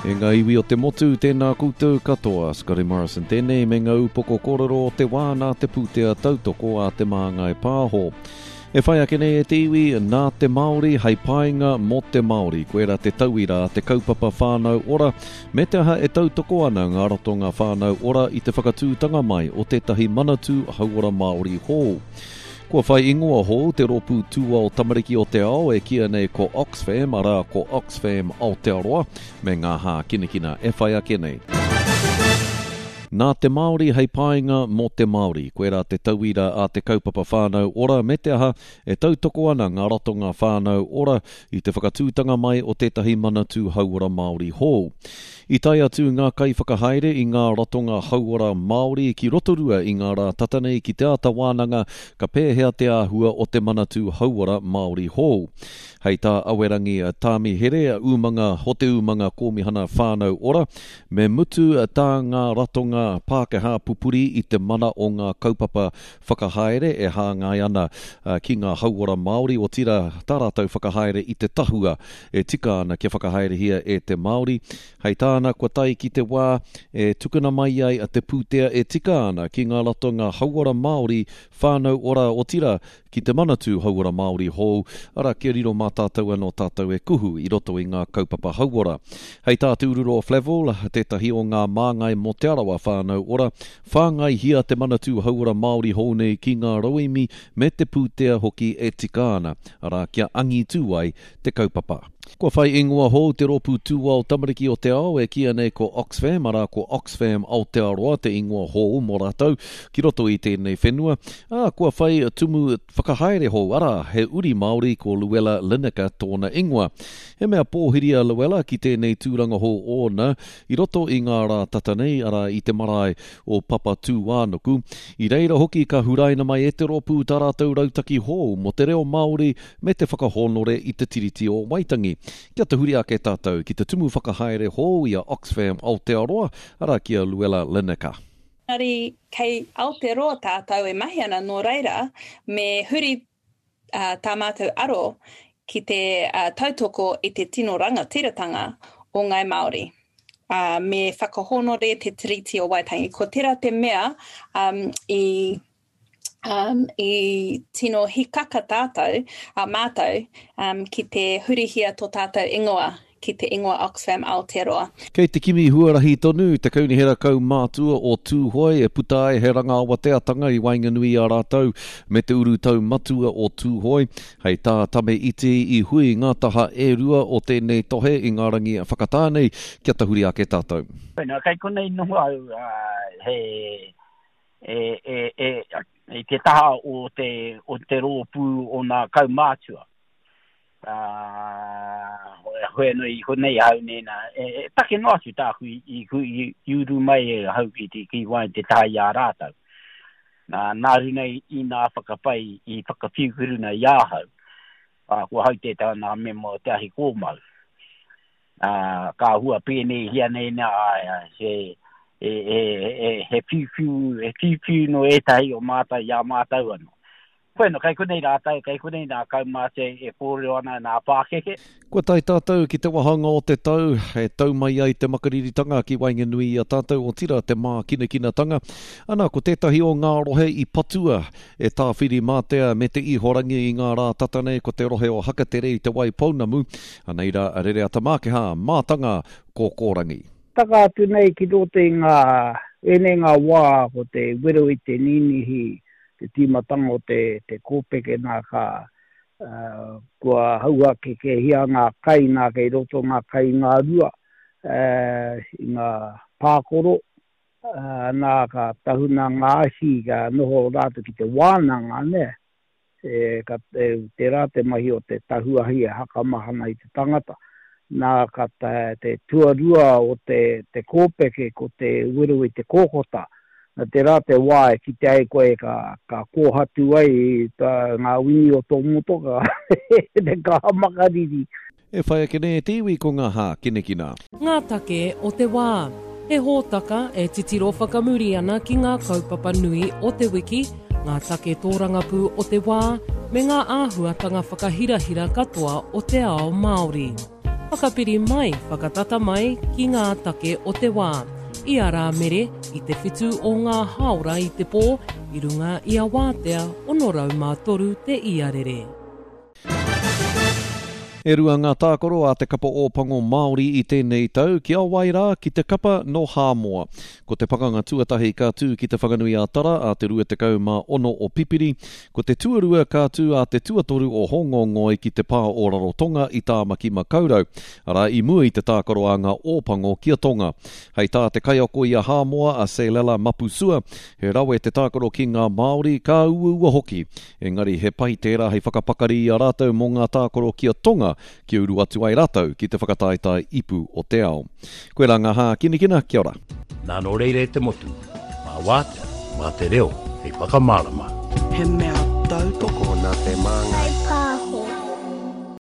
E ngā iwi o te motu, tēnā koutou katoa. Scotty Morrison tēnei me ngā upoko kōrero o te wā nā te pūtea tautoko a Te Māngai Pāho. E whai ake nei e te iwi, nā te Māori hei painga mō te Māori. Koirā te tauira a te kaupapa Whānau Ora, me te aha e tautoko ana ngā ratonga Whānau Ora i te whakatūtanga mai o tētahi Manatū Hauora Māori hou. Kua whai ingoa hou te rōpū tūao tamariki o te ao e kīia nei ko Oxfam, arā, ko Oxfam Aotearoa, me ngā hākinakina e whai ake nei. Nā te Māori hei painga mō te Māori. Koirā te tauira a te kaupapa Whānau Ora me te aha, e tautoko ana ngā ratonga Whānau Ora i te whakatūtanga mai o tētahi Manatū Hauora Māori hou. I tae atu ngā kaiwhakahaere i ngā ratonga hauora Māori ki Rotorua i ngā rā tata nei ki te āta wānanga ka pēhea te āhua o te Manatū Hauora Māori hou. Hei tā Awerangi Tāmihere, umanga o te umanga Kōmihana Whānau Ora, me mutu tā ngā ratonga Pākehā pupuri i te mana o ngā kaupapa whakahaere e hāngai ana ki ngā hauora Māori, otirā tā rātou whakahaere i te tahua e tika ana kia whakahaerehia e te Māori. Hei tāna, kua tae ki te wā e tukuna mai ai te pūtea e tika ana ki ngā ratonga hauora Māori, whānau ora, otirā, ki te Manatū Hauora Māori hou, arā, kia riro mā tātou anō tātou e kuhu i roto i ngā kaupapa hauora. Hei tā Te Ururoa Flavell, tētahi o ngā māngai mō Te Arawa Whānau Ora, Whāngaihia te Manatū Hauora Māori hou nei ki ngā rauemi me te pūtea hoki e tika ana, arā, kia angitū ai te kaupapa. Kua whai ingoa hou te rōpū tūao tamariki o te ao e kīia nei ko Oxfam, arā, ko Oxfam Aotearoa te ingoa hou mō rātou ki roto i tēnei whenua, ā, kua whai tumu whakahaere hou, arā, he uri Māori ko Luella Lineker tōna ingoa. He mea pōhiri a Luella ki tēnei tūranga hou ōna I roto i ngā rā tata nei, arā, i te marae o Papatūānuku, i reira hoki ka huraina mai e te rōpū tā rātou rautaki hou mō te reo Māori me te whakahōnore i te Tiriti o Waitangi. Kia tahuri ake tātou ki te tumu whakahaere hou i a Oxfam Aotearoa, arā, ki a Luella Lineker. Engari kei Aotearoa tātou e mahi ana, nō reira, me huri tā mātou aro ki te tautoko i te tino rangatiratanga o Ngāi Māori, ā, me whakahōnore te Tiriti o Waitangi. Ko tērā te mea i, i tino hikaka tātou, a mātou, ki te hurihia tō tātou ingoa ki te ingoa Oxfam Aotearoa. Kei te kimi huarahi tonu te Kaunihera Kaumātua o Tūhoe e puta ai he rangaawateatanga i waenganui i a rātou me te urutau matua o Tūhoe. Hei tā Tame Iti i hui ngā taha e rua o tēnei tohe i ngā rangi whakatā nei kia tahuri ake tātou. Wena, kei konei noho au, he, e, e, e, i te taha o te, o te rōpū o nā kaumātua. Ā, hoi anō i konei ahau nēnā, e, e take noa atu tāku i, i, i, i uru mai e ahau ki, ki, ki waenga te taha i a rātou. Nā, nā runa i, i nā whakapai i whakawhiuwhiruna i ahau, ā, ko ahau tētahi o nā mema o te ahi kōmau. Ā, ka hua pēneihia nei nā, āe, he, e, e, e, he whiuwhiu, he whiuwhiu no ētahi o mātou i a mātou anō. Bueno, kei konei rātou, kei konei nā kaumātua e kōrero ana nā pākeke. Kua tae tātou ki te wāhanga o te tau e tau mai ai te makariritanga ki waenganui i a tātou, otirā te mākinakinatanga. Ana, ko tētahi o ngā rohe i patua e Tāwhirimātea me Te Ihorangi i ngā rā tata nei ko te rohe o Hakatere i Te Waipounamu. Anei rā a Rereata Mākehā, mātanga kōkōrangi. Taka atu nei ki roto i ngā, ēnei ngā wā ko te wero i te ninihi te tīmatanga o te, te kōpeke nā ka, kua hauhakekehia ngā kai nā kei roto ngā kai i ngā rua, i ngā pākoro, nā ka tahuna ngā ahi ka noho rātou ki te wānanga, nē. E, ka, e, tērā te mahi o te tahu ahi e hakamahana i te tangata. Nā, ka te, te tuarua o te, te kōpeke ko te wero i te kōkota. Nā, tērā te wā e kite ai koe ka, ka kōhatu ai tā, ngā wini o tō motoka, te kaha makariri. E whai ake nei e te iwi ko ngā hākinakina. Ngā take o te wā. He hōtaka e titiro whakamuri ana ki ngā kaupapa nui o te wiki, ngā take tōrangapū o te wā, me ngā āhuatanga whakahirahira katoa o te ao Māori. Whakapiri mai, whakatata mai ki ngā take o te wā. I a Rāmere, i te whitu o ngā hāora i te pō, i runga i a Wātea 603 te iarere. E rua ngā tākaro a te kapa Ōpango Māori i tēnei tau, ki a wai rā, ki te kapa nō Hāmoa. Ko te pakanga tuatahi ka tū ki Te Whanganui-a-Tara ā te 26 o Pipiri, ko te tuarua ka tū ā te tuatoru o Hōngongoi ki te pā o Rarotonga i Tāmaki-makau-rau, arā i mua i te tākaro a ngā Ōpango ki a Tonga. Hei tā te kaiako i a Hāmoa a Selela Mapusua, he rawe te tākaro ki ngā Māori, ka uaua hoki. Engari he pai tērā hei whakapakari i a rātou mō ngā tākaro ki a Tonga kia uru atu ai rātou ki te whakataetae ipu o te ao. Koirā ngā hākinakina, kia ora. Nā nō reira e te motu, mā Wātea, mā te reo hei whakamārama. He mea tautoko nā Te Māngai.